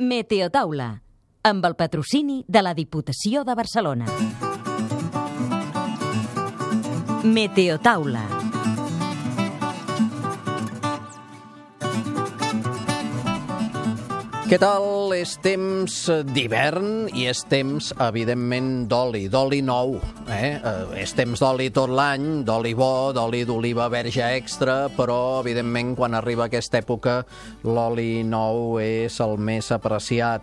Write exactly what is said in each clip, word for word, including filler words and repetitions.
Meteotaula, amb el patrocini de la Diputació de Barcelona. Meteotaula. Què tal? És temps d'hivern i és temps, evidentment, d'oli, d'oli nou. Eh? És temps d'oli tot l'any, d'oli bo, d'oli d'oliva verge extra, però, evidentment, quan arriba aquesta època, l'oli nou és el més apreciat.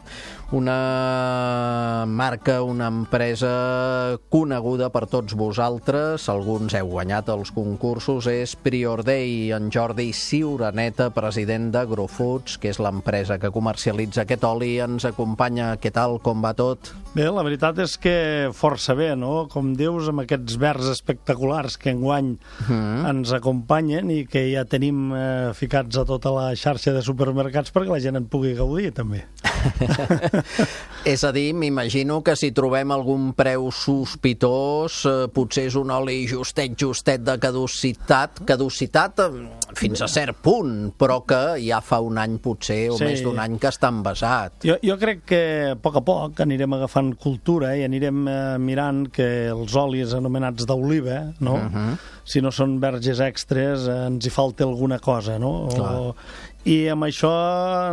Una marca, una empresa coneguda per tots vosaltres, alguns heu guanyat els concursos, és Priorday. En Jordi Ciuraneta, president d'Agrofoods, que és l'empresa que comercialitza aquest oli, ens acompanya. Què tal? Com va tot? Bé, la veritat és que força bé, no? Com dius, amb aquests verds espectaculars que enguany mm. ens acompanyen i que ja tenim eh, ficats a tota la xarxa de supermercats perquè la gent en pugui gaudir, també. És a dir, m'imagino que si trobem algun preu sospitós, eh, potser és un oli justet, justet de caducitat, caducitat eh, fins a cert punt, però que ja fa un any potser, o sí. més d'un any que està envasat. Jo, jo crec que a poc a poc anirem agafant cultura i anirem eh, mirant que els olis anomenats d'oliva, no? Uh-huh. Si no són verges extres, eh, ens hi falta alguna cosa, no? O, i amb això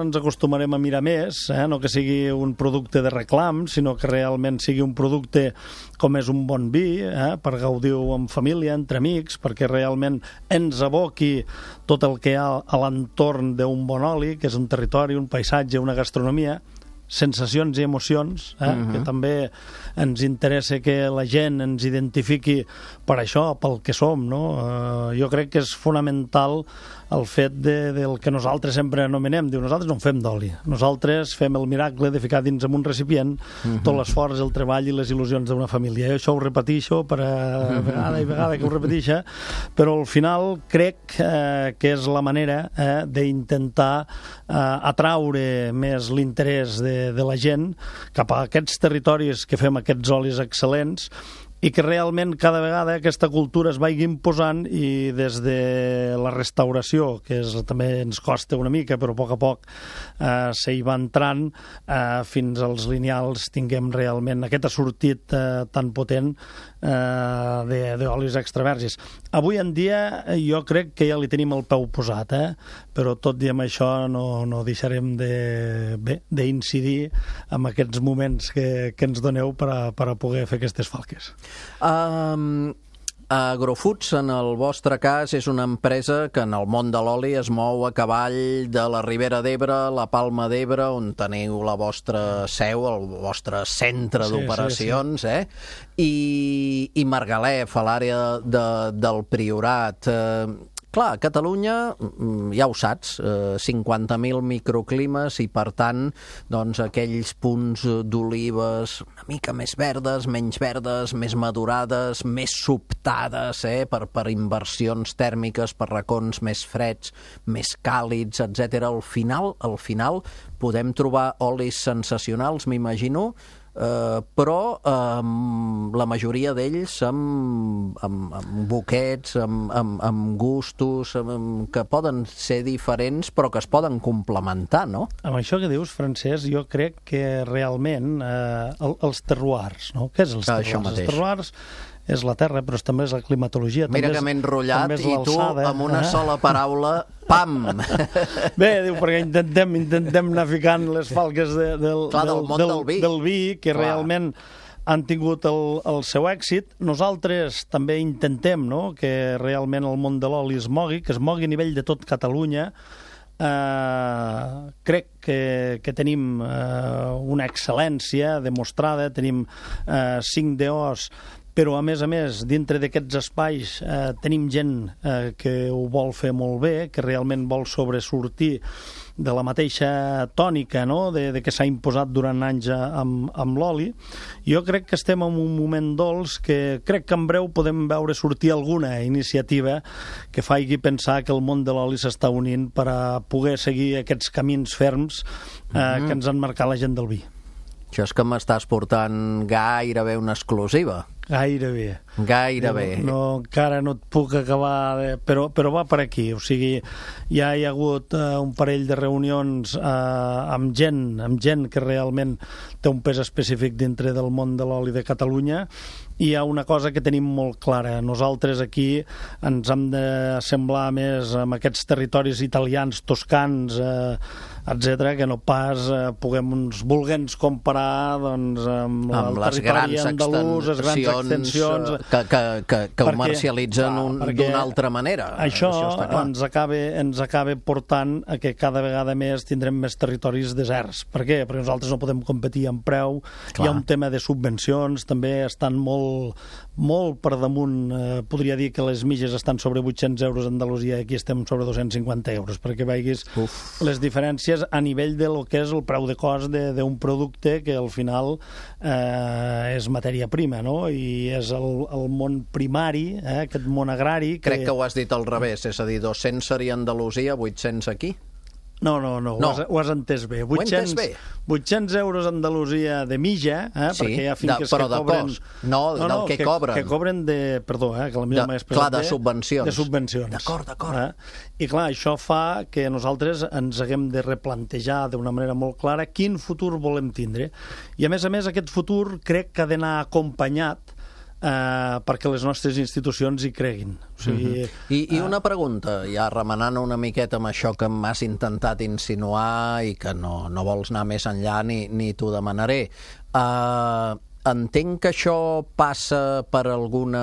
ens acostumarem a mirar més, eh? No que sigui un producte de reclam, sinó que realment sigui un producte com és un bon vi, eh? Per gaudir-ho en família, entre amics, perquè realment ens aboqui tot el que hi ha a l'entorn d'un bon oli, que és un territori, un paisatge, una gastronomia, sensacions i emocions, eh? Uh-huh. Que també ens interessa que la gent ens identifiqui per això, pel que som, no? Uh, jo crec que és fonamental el fet de, del que nosaltres sempre anomenem, diu, nosaltres no en fem d'oli, nosaltres fem el miracle de ficar dins en un recipient uh-huh. tot l'esforç, el treball i les il·lusions d'una família. Jo això ho repeteixo per a uh-huh. vegada i vegada que ho repetixa, però al final crec eh, que és la manera eh, d'intentar eh, atraure més l'interès de, de la gent cap a aquests territoris que fem aquests olis excel·lents i que realment cada vegada aquesta cultura es vagi imposant i des de la restauració, que és, també ens costa una mica, però a poc a poc eh, s'hi va entrant, eh, fins als lineals tinguem realment aquest assortit eh, tan potent eh, d'olis extravergis. Avui en dia jo crec que ja li tenim el peu posat, eh? Però tot i amb això no, no deixarem de, bé, d'incidir en aquests moments que, que ens doneu per a, per a poder fer aquestes falques. Um, Agrofoods, en el vostre cas, és una empresa que en el món de l'oli es mou a cavall de la Ribera d'Ebre, la Palma d'Ebre, on teniu la vostra seu, el vostre centre sí, d'operacions, sí, sí. eh? I, i Margalef, a l'àrea de, del Priorat. Eh, Clar, a Catalunya, ja ho saps, eh, cinquanta mil microclimes i, per tant, doncs, aquells punts d'olives una mica més verdes, menys verdes, més madurades, més sobtades, eh, per, per inversions tèrmiques, per racons més freds, més càlids, etcètera. Al final, al final podem trobar olis sensacionals, m'imagino, Uh, però uh, la majoria d'ells amb, amb, amb boquets, amb, amb, amb gustos, amb, que poden ser diferents però que es poden complementar, no? Amb això que dius, Francesc, jo crec que realment eh, el, els terroirs, no? Què és els terroirs? Això mateix. Els terroirs és la terra, però també és la climatologia. Mira que m'he enrotllat i tu, amb una eh? sola paraula, pam! Bé, diu, perquè intentem, intentem anar ficant les falques de, del, Clar, del, del món del, del vi, del vi que Clar. realment han tingut el, el seu èxit. Nosaltres també intentem, no?, que realment el món de l'oli es mogui, que es mogui a nivell de tot Catalunya. Uh, crec que, que tenim uh, una excel·lència demostrada, tenim uh, cinc D Os, però a més a més dintre d'aquests espais eh, tenim gent eh, que ho vol fer molt bé, que realment vol sobresortir de la mateixa tònica, no?, de, de que s'ha imposat durant anys amb, amb l'oli. Jo crec que estem en un moment dolç que crec que en breu podem veure sortir alguna iniciativa que faci pensar que el món de l'oli s'està unint per a poder seguir aquests camins ferms eh, mm-hmm. que ens han marcat la gent del vi. Això és que m'estàs portant gairebé una exclusiva. Gairebé. Gairebé. No, no, encara no et puc acabar, de... però, però va per aquí. O sigui, ja hi ha hagut uh, un parell de reunions uh, amb gent, amb gent que realment té un pes específic dintre del món de l'oli de Catalunya, i hi ha una cosa que tenim molt clara. Nosaltres aquí ens hem de semblar més amb aquests territoris italians, toscans, eh, etcètera, que no pas eh, puguem uns volguents comparar doncs, amb, amb el les territori grans andalús, les grans extensions que, que, que, que perquè, comercialitzen clar, d'una altra manera. Això, això està clar. ens acaba, ens acaba portant a que cada vegada més tindrem més territoris deserts. Per què? Perquè nosaltres no podem competir en preu. Clar. Hi ha un tema de subvencions, també estan molt, molt per damunt. Eh, podria dir que les mitges estan sobre vuit-cents euros a Andalusia i aquí estem sobre dos-cents cinquanta euros, perquè veiguis Uf. les diferències a nivell de lo que és el preu de cost d'un producte que al final eh, és matèria prima, no? I és el, el món primari, eh, aquest món agrari... Que... Crec que ho has dit al revés, és a dir, dos-cents seria Andalusia, vuit-cents aquí? No, no, no, no. Ho, has, ho has entès bé. vuit-cents, ho he entès bé. vuit-cents euros a Andalusia de mitja, eh, sí, perquè hi ha finques de, però que cobren... de cost, no, no, del que, que cobren. Que cobren de... Perdó, eh, que la millor m'he expressat clar, de subvencions. De subvencions. D'acord, d'acord. Eh? I clar, això fa que nosaltres ens haguem de replantejar d'una manera molt clara quin futur volem tindre. I a més a més, aquest futur crec que ha d'anar acompanyat Uh, perquè les nostres institucions hi creguin. O sigui, uh-huh. I, I una pregunta, ja remenant una miqueta amb això que m'has intentat insinuar i que no, no vols anar més enllà ni, ni t'ho demanaré. Uh, entenc que això passa per alguna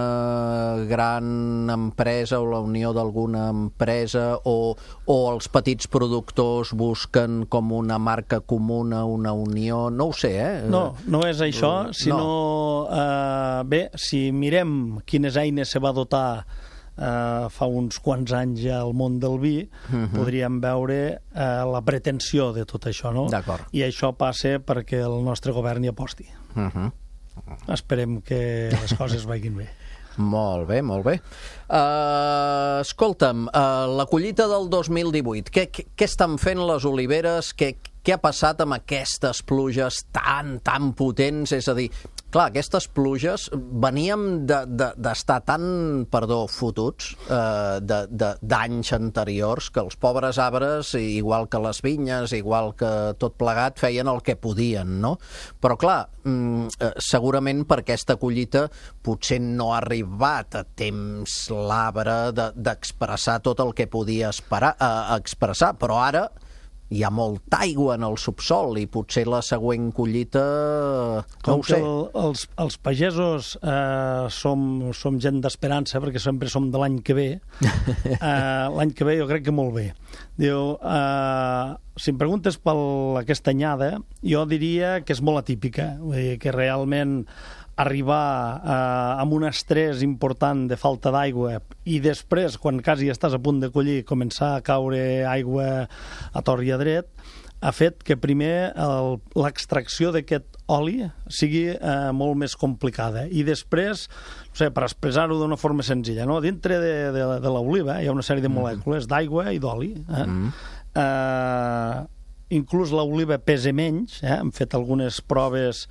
gran empresa o la unió d'alguna empresa o, o els petits productors busquen com una marca comuna, una unió, no ho sé, eh? No, no és això, sinó... No. Uh, bé, si mirem quines eines se va dotar Uh, fa uns quants anys ja al món del vi, uh-huh. podríem veure uh, la pretensió de tot això, no? D'acord. I això passa perquè el nostre govern hi aposti. Uh-huh. Esperem que les coses vagin bé. Molt bé, molt bé. Uh, escolta'm, uh, la collita del dos mil divuit, què, què, què estan fent les oliveres? Què, què ha passat amb aquestes pluges tan, tan potents? És a dir, clar, aquestes pluges veníem d'estar tan, perdó, fotuts uh, d'anys anteriors que els pobres arbres, igual que les vinyes, igual que tot plegat, feien el que podien, no? Però clar, mm, segurament per aquesta collita potser no ha arribat a temps l'arbre d'expressar de, tot el que podia esperar, eh, expressar, però ara hi ha molta aigua en el subsol i potser la següent collita no ho sé. El, els, els pagesos eh, som, som gent d'esperança perquè sempre som de l'any que ve. eh, l'any que ve jo crec que molt bé. Diu, eh, si em preguntes per aquesta anyada, jo diria que és molt atípica, vull dir que realment arribar eh, amb un estrès important de falta d'aigua i després, quan quasi estàs a punt de collir, començar a caure aigua a tort i a dret, ha fet que primer l'extracció d'aquest oli sigui eh, molt més complicada i després, no sé, per expressar-ho d'una forma senzilla, no? Dintre de, de, de l'oliva hi ha una sèrie de molècules d'aigua i d'oli. Eh? Mm. Eh, inclús l'oliva pesa menys, eh? Hem fet algunes proves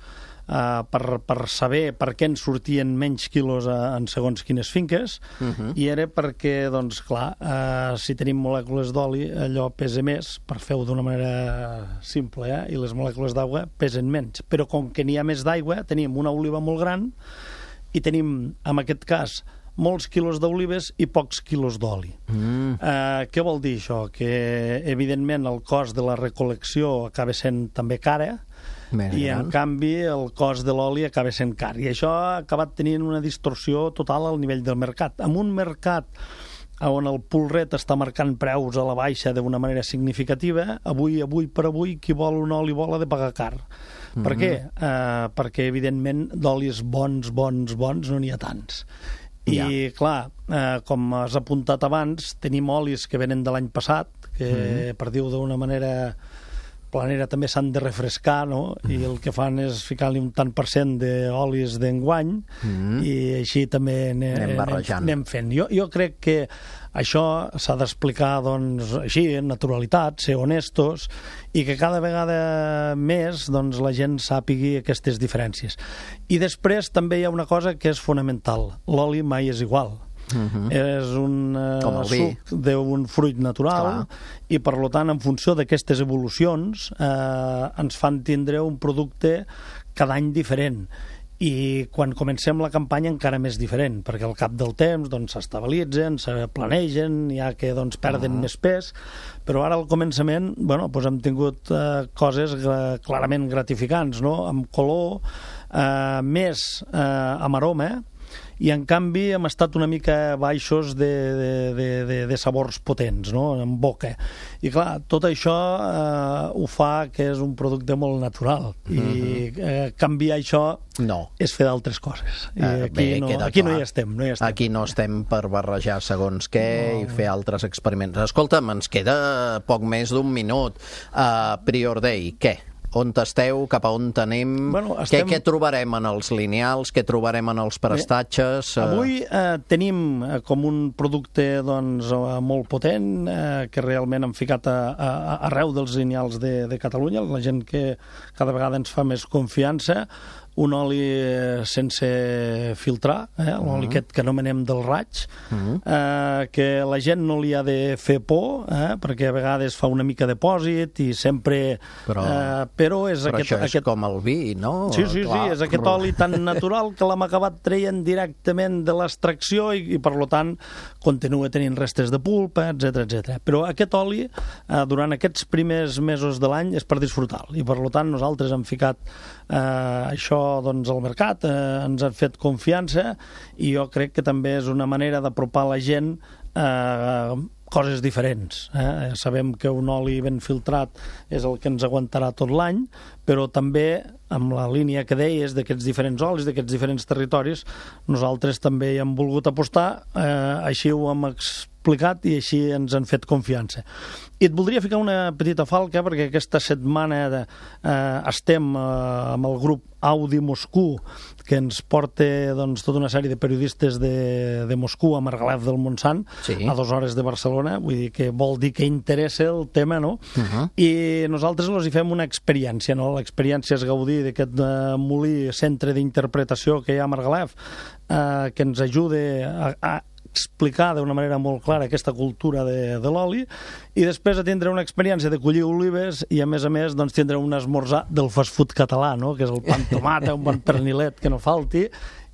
Uh, per, per saber per què ens sortien menys quilos uh, en segons quines finques, uh-huh. i era perquè, doncs, clar, uh, si tenim molècules d'oli, allò pesa més, per fer-ho d'una manera simple, eh? I les molècules d'aigua pesen menys. Però com que n'hi ha més d'aigua, tenim una oliva molt gran i tenim, en aquest cas, molts quilos d'olives i pocs quilos d'oli. Mm. Uh, què vol dir això? Que, evidentment, el cost de la recol·lecció acaba sent també cara, Més i gran. En canvi el cost de l'oli acaba sent car, i això ha acabat tenint una distorsió total al nivell del mercat. En un mercat on el pulret està marcant preus a la baixa d'una manera significativa, avui, avui per avui, qui vol un oli vol ha de pagar car. Mm-hmm. Per què? Uh, perquè, evidentment, d'olis bons, bons, bons no n'hi ha tants. I, ja. clar, eh, com has apuntat abans, tenim olis que venen de l'any passat, que, mm-hmm. per dir-ho d'una manera planera també s'han de refrescar, no? I el que fan és ficar-li un tant per cent d'olis d'enguany mm. i així també ne, anem barrejant. Anem fent. Jo, jo crec que això s'ha d'explicar, doncs, així, en naturalitat, ser honestos, i que cada vegada més doncs, la gent sàpigui aquestes diferències. I després també hi ha una cosa que és fonamental. L'oli mai és igual. Uh-huh. És un uh, suc d'un fruit natural. Clar. I per tant, en funció d'aquestes evolucions eh, ens fan tindre un producte cada any diferent, i quan comencem la campanya encara més diferent, perquè al cap del temps doncs, s'estabilitzen, se planegen, ja que doncs, perden uh-huh. més pes, però ara al començament bueno, doncs hem tingut eh, coses eh, clarament gratificants, no? Amb color, eh, més eh, amb aroma, i en canvi hem estat una mica baixos de, de, de, de, de sabors potents, no? En boca. I clar, tot això eh, ho fa que és un producte molt natural, i eh, canviar això no. és fer d'altres coses. I eh, aquí, bé, no, aquí no hi estem, no hi estem. Aquí no estem per barrejar segons què no. i fer altres experiments. Escolta'm, ens queda poc més d'un minut. Uh, Prior Day, què? On esteu, cap a on anem, bueno, estem... què, què trobarem en els lineals, què trobarem en els prestatges? Bé, avui eh, tenim eh, com un producte doncs, eh, molt potent, eh, que realment hem ficat a, a, a arreu dels lineals de, de Catalunya, la gent que cada vegada ens fa més confiança, un oli sense filtrar, eh? l'oli uh-huh. aquest que anomenem del raig, uh-huh. eh, que la gent no li ha de fer por, eh? perquè a vegades fa una mica de pòsit i sempre... Però, eh, però és, però aquest, això és aquest... com el vi, no? Sí, sí, Clar. sí, és aquest oli tan natural que l'hem acabat traient directament de l'extracció i, i per tant continua tenint restes de pulpa, etcètera, etcètera. Però aquest oli, eh, durant aquests primers mesos de l'any, és per disfrutar-lo, i per tant nosaltres hem ficat eh, això doncs, al mercat, eh, ens han fet confiança, i jo crec que també és una manera d'apropar la gent eh, coses diferents. Eh? Sabem que un oli ben filtrat és el que ens aguantarà tot l'any, però també amb la línia que deies d'aquests diferents olis, d'aquests diferents territoris, nosaltres també hi hem volgut apostar, eh, així ho hem explicat i així ens han fet confiança. I et voldria ficar una petita falca, perquè aquesta setmana de, eh, estem eh, amb el grup Audi Moscou, que ens porta doncs, tota una sèrie de periodistes de, de Moscou a Margalef del Montsant, sí. a dues hores de Barcelona, vull dir que vol dir que interessa el tema, no? Uh-huh. I nosaltres els hi fem una experiència, no? L'experiència és gaudir d'aquest uh, molí, centre d'interpretació que hi ha a Margalef, uh, que ens ajuda a, a explicar d'una manera molt clara aquesta cultura de, de l'oli, i després a tindre una experiència de collir olives i a més a més doncs, tindre un esmorzar del fast food català, no? Que és el pa amb tomata, un bon pernilet que no falti,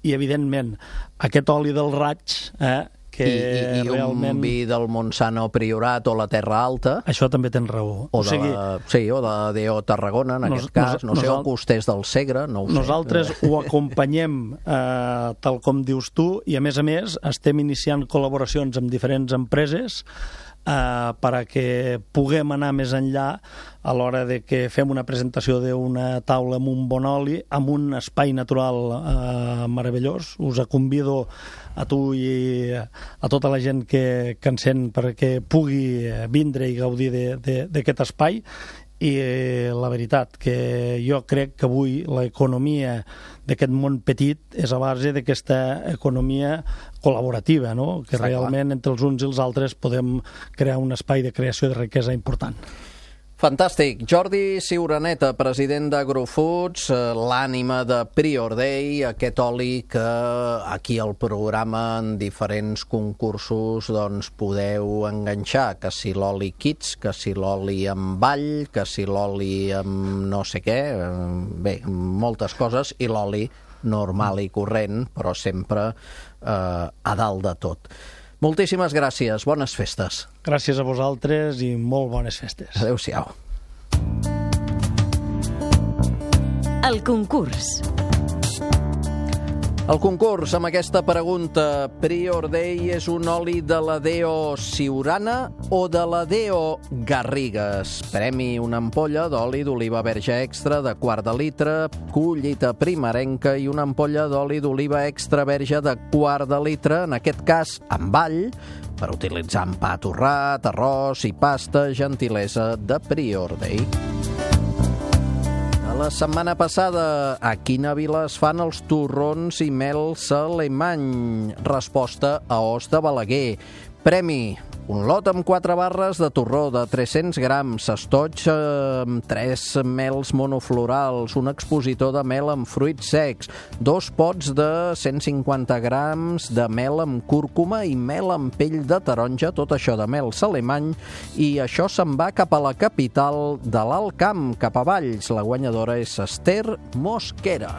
i evidentment aquest oli del raig, eh, que I, i, i realment... un vi del Montsant Priorat o la Terra Alta. Això també tens raó. O, o de sigui... la, sí, o de D O Tarragona, en nos, aquest cas. No nos, sé, o Costers del Segre, no ho sé. Nosaltres ho acompanyem eh, tal com dius tu, i a més a més estem iniciant col·laboracions amb diferents empreses Uh, perquè puguem anar més enllà a l'hora de que fem una presentació d'una taula amb un bon oli, amb un espai natural uh, meravellós. Us convido a tu i a tota la gent que, que ens sent perquè pugui vindre i gaudir d'aquest espai. I la veritat que jo crec que avui l'economia d'aquest món petit és a base d'aquesta economia col·laborativa, no? Que Està realment clar. Entre els uns i els altres podem crear un espai de creació de riquesa important. Fantàstic. Jordi Ciuraneta, president d'Agrofoods, l'ànima de Prior Day, aquest oli que aquí al programa en diferents concursos doncs, podeu enganxar, que si l'oli Kids, que si l'oli amb ball, que si l'oli amb no sé què, bé, moltes coses, i l'oli normal i corrent, però sempre eh, a dalt de tot. Moltíssimes gràcies, bones festes. Gràcies a vosaltres i molt bones festes. Adéu-siau. El concurs. El concurs amb aquesta pregunta: Prior Day és un oli de la D O Siurana o de la D O Garrigues? Premi una ampolla d'oli d'oliva verge extra de quart de litre, collita primerenca, i una ampolla d'oli d'oliva extra verge de quart de litre, en aquest cas amb all, per utilitzar en pa torrat, arròs i pasta, gentilesa de Prior Day. La setmana passada, a quina vila es fan els torrons i mel Salemany? Resposta a Os de Balaguer. Premi: un lot amb quatre barres de torró de tres-cents grams, estoig amb tres mels monoflorals, un expositor de mel amb fruits secs, dos pots de cent cinquanta grams de mel amb cúrcuma i mel amb pell de taronja, tot això de mel Salemany, i això se'n va cap a la capital de l'Alt Camp, cap a Valls. La guanyadora és Esther Mosquera.